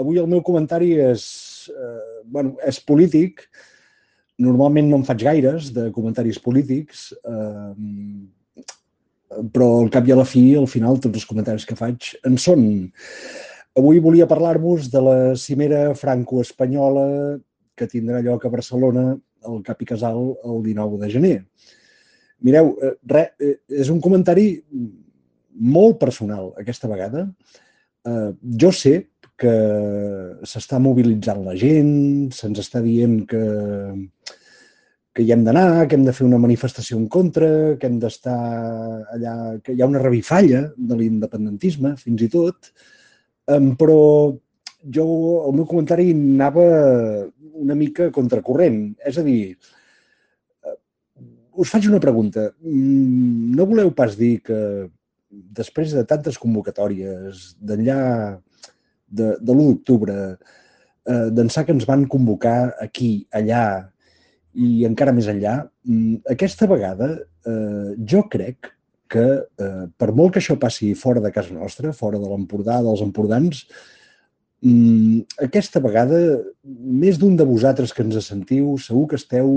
Avui el meu comentari és polític. Normalment no en faig gaires de comentaris polítics, però al cap i a la fi, al final, tots els comentaris que faig en són. Avui volia parlar-vos de la cimera franco-espanyola que tindrà lloc a Barcelona, al Cap i Casal, el 19 de gener. Mireu, és un comentari molt personal aquesta vegada. Jo sé que s'està mobilitzant la gent, se'ns està dient que hi hem d'anar, que hem de fer una manifestació en contra, que hem d'estar allà, que hi ha una revifalla de l'independentisme, fins i tot, però el meu comentari anava una mica contracorrent. És a dir, us faig una pregunta. No voleu pas dir que després de tantes convocatòries, d'enllà de l'1 d'octubre, d'ençà que ens van convocar aquí, allà i encara més enllà, aquesta vegada jo crec que, per molt que això passi fora de casa nostra, fora de l'Empordà, dels empordans, aquesta vegada, més d'un de vosaltres que ens sentiu, segur que esteu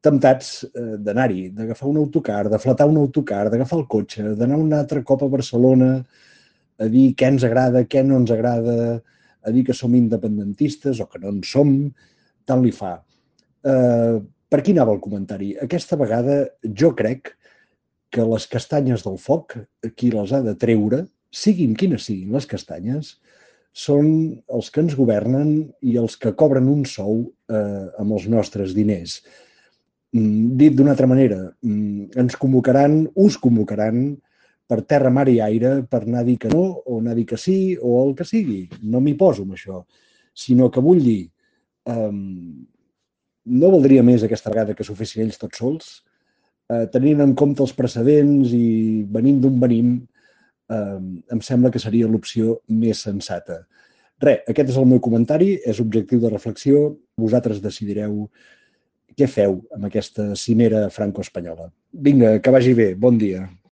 temptats d'anar-hi, d'agafar un autocar, de flatar un autocar, d'agafar el cotxe, d'anar un altre cop a Barcelona a dir què ens agrada, què no ens agrada, a dir que som independentistes o que no en som, tant li fa. Per aquí anava el comentari. Aquesta vegada jo crec que les castanyes del foc, qui les ha de treure, siguin quines siguin les castanyes, són els que ens governen i els que cobren un sou amb els nostres diners. Dit d'una altra manera, us convocaran per terra, mar i aire per anar a dir que no o anar a dir que sí o el que sigui. No m'hi poso amb això, sinó que vull dir, no valdria més aquesta vegada que s'ho fessin ells tots sols, tenint en compte els precedents i venint d'on venim, em sembla que seria l'opció més sensata. Aquest és el meu comentari, és objectiu de reflexió, vosaltres decidireu què feu amb aquesta cimera franco-espanyola. Vinga, que vagi bé, bon dia.